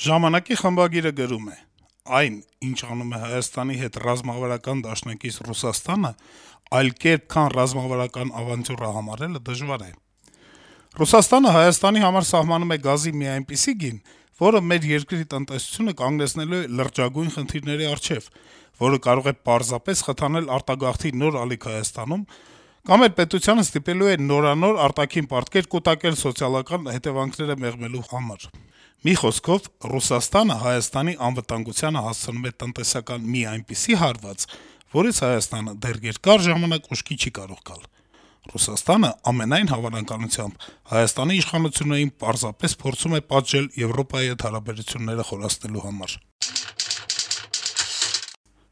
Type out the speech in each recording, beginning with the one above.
Ժամանակի խմբագիրը գրում է. - «Այն, ինչ անում է Հայաստանի հետ ռազմավարական դաշնակից Ռուսաստանը, այլ կերպ, քան ռազմավարական ավանտյուրա համարելը դժվար է: Ռուսաստանը Հայաստանի համար սահմանում է գազի մի այնպիսի գին, որը մեր երկրի տնտեսությունը կանգնեցնելու է լրջագույն խնդիրների առջեւ, որը կարող է պարզապես խթանել արտագաղթի նոր ալիք Հայաստանում կամ էլ պետությանը ստիպելու է նորանոր արտաքին պարտքեր կուտակել սոցիալական հետեւանքները մեղմելու համար: Մի խոսքով, Ռուսաստանը Հայաստանի անվտանգությանը հասցնում է տնտեսական մի այնպիսի հարված, որից Հայաստանը դեռ երկար ժամանակ ուշքի չի կարող գալ: Ռուսաստանը, ամենայն հավանականությամբ, Հայաստանի իշխանություններին պարզապես փորձում է պատժել Եվրոպայի հետ հարաբերությունները խորացնելու համար»: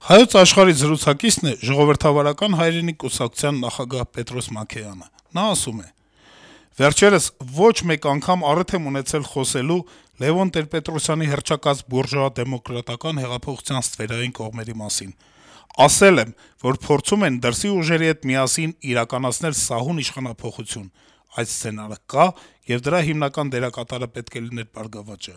«Հայոց Աշխարհ»-ի զրուցակիցն է Ժողովրդավարական հայրենիք կուսակցության նախագահ Պետրոս Մաքեյանը: Նա ասում է. - «Վերջերս ոչ մեկ անգամ առիթ եմ ունեցել խոսելու Լեւոն Տեր-Պետրոսյանի հռչակած բուրժուա-դեմոկրատական հեղափոխության ստվերային կողմերի մասին: Ասել եմ, որ փորձում են դրսի ուժերի հետ միասին իրականացնել սահուն իշխանափոխություն: Այդ սցենարը կա, եւ դրա հիմնական դերակատարը պետք է լիներ «Բարգավաճը»: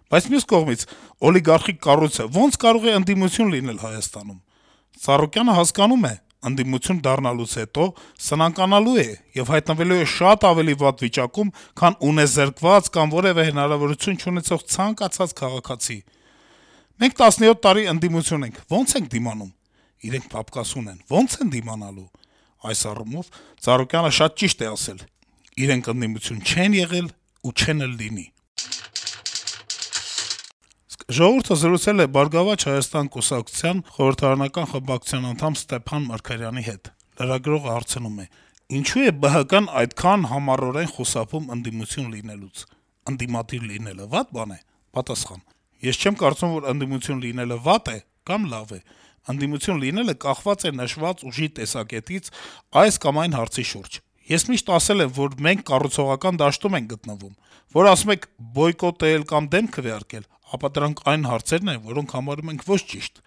Բայց մյուս կողմից, օլիգարխիկ կառույցը ո՞նց կարող է ընդդիմություն լինել Հայաստանում: Ծառուկյանը հասկանում է՝ ընդդիմություն դառնալուց հետո սնանկանալու է եւ հայտնվելու է շատ ավելի վատ վիճակում, քան ունեզրկված կամ որեւէ հնարավորություն չունեցող ցանկացած քաղաքացի: Մենք 17 տարի ընդդիմություն ենք, ո՞նց ենք դիմանում: Իրենք փափկասուն են, ո՞նց են դիմանալու: Այս առումով Ծառուկյանը շատ ճիշտ է ասել. իրենք ընդդիմություն չեն եղել ու չեն էլ լինի»: «Ժողովուրդ»-ը զրուցել է «Բարգավաճ Հայաստան» կուսակցության խորհրդարանական խմբակցության անդամ Ստեփան Մարգարյանի հետ: Լրագրողը հարցնում է. - «Ինչո՞ւ է ԲՀԿ-ն այդքան համառորեն խուսափում ընդդիմություն լինելուց: Ընդդիմադիր լինելը վատ բան է»: Պատասխան. - «Ես չեմ կարծում, որ ընդդիմություն լինելը վատ է կամ լավ է: Ընդդիմություն լինելը կախված է նշված ուժի տեսակետից այս կամ այն հարցի շուրջ: Ես միշտ ասել եմ, որ մենք կառուցողական դաշտում ենք գտնվում: Որ ասում եք բոյկոտել կամ դեմ քվեարկել, ապա դրանք այն հարցերն են, որոնք համարում ենք ոչ ճիշտ: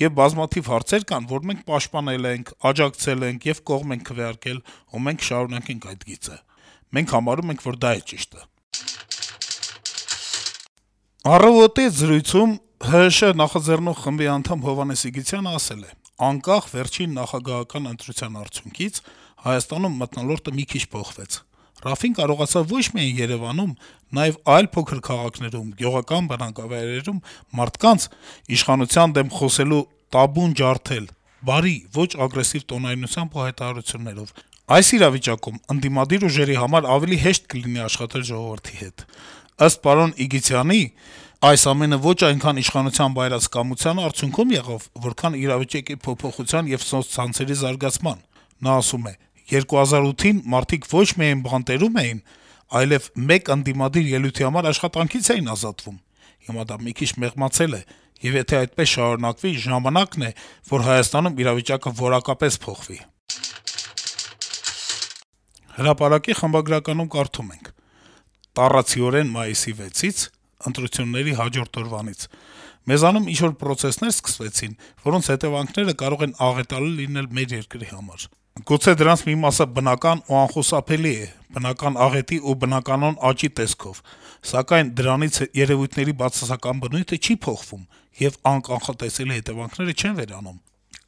Եվ բազմաթիվ հարցեր կան, որ մենք պաշտպանել ենք, աջակցել ենք եւ կողմ ենք քվեարկել, ու մենք կշարունակենք այդ գիծը: Մենք համարում ենք, որ դա է ճիշտը»: «Առավոտ»-ի հետ զրույցում ՀՀՇ նախաձեռնող խմբի անդամ Հովհաննես Սիգիցյանը ասել է. - «Անկախ վերջին նախագահական ընտրության արդյունքից Հայաստանում մթնոլորտը մի քիչ փոխվեց: Ռաֆին կարողացավ ոչ միայն Երեւանում, նաեւ այլ փոքր քաղաքներում, գյուղական բնակավայրերում մարդկանց իշխանության դեմ խոսելու տաբուն ջարդել բարի, ոչ ագրեսիվ տոնայնությամբ ու հայտարարություններով: Այս իրավիճակում ընդդիմադիր ուժերի համար ավելի հեշտ կլինի աշխատել ժողովրդի հետ: Ըստ պարոն Իգիթյանի, այս ամենը ոչ այնքան իշխանության բայրացկամության արդյունքում եղավ, որքան իրավիճակի փոփոխության եւ սոցցանցերի զարգացման: Նա ասում է. - «2008-ին մարդիկ ոչ միայն բանտերում էին, այլեւ մեկ ընդդիմադիր ելույթի համար աշխատանքից էին ազատվում: Հիմա դա մի քիչ մեղմացել է, եւ եթե այդպես շարունակվի, ժամանակն է, որ Հայաստանում իրավիճակը որակապես փոխվի»: «Հրապարակ»-ի խմբագրականում կարդում ենք. - «Տառացիորեն մայիսի 6-ից, ընտրությունների հաջորդ օրվանից, մեզանում ինչ-որ պրոցեսներ սկսվեցին, որոնց հետեւանքները կարող են աղետալի լինել մեր երկրի համար: Գուցե դրանց մի մասը բնական ու անխուսափելի է, բնական աղետի ու բնականոն աճի տեսքով, սակայն դրանից երեւույթների բացասական բնույթը չի փոխվում, եւ անկանխատեսելի հետեւանքները չեն վերանում: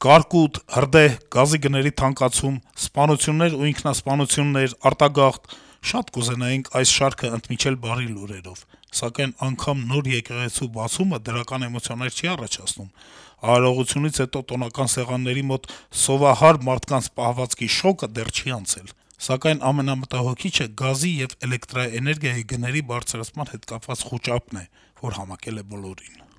Կարկուտ, հրդեհ, գազի գների թանկացում, սպանություններ ու ինքնասպանություններ, արտագաղթ: Շատ կուզենայինք այս շարքը ընդմիջել բարի լուրերով, սակայն անգամ նոր եկեղեցու բացումը դրական էմոցիաներ չի առաջացնում: Արարողությունից հետո տոնական սեղանների մոտ սովահար մարդկանց պահվածքի շոկը դեռ չի անցել: Սակայն ամենամտահոգիչը գազի եւ էլեկտրաէներգիայի գների բարձրացման հետ կապված խուճապն է, որ համակել է բոլորին»: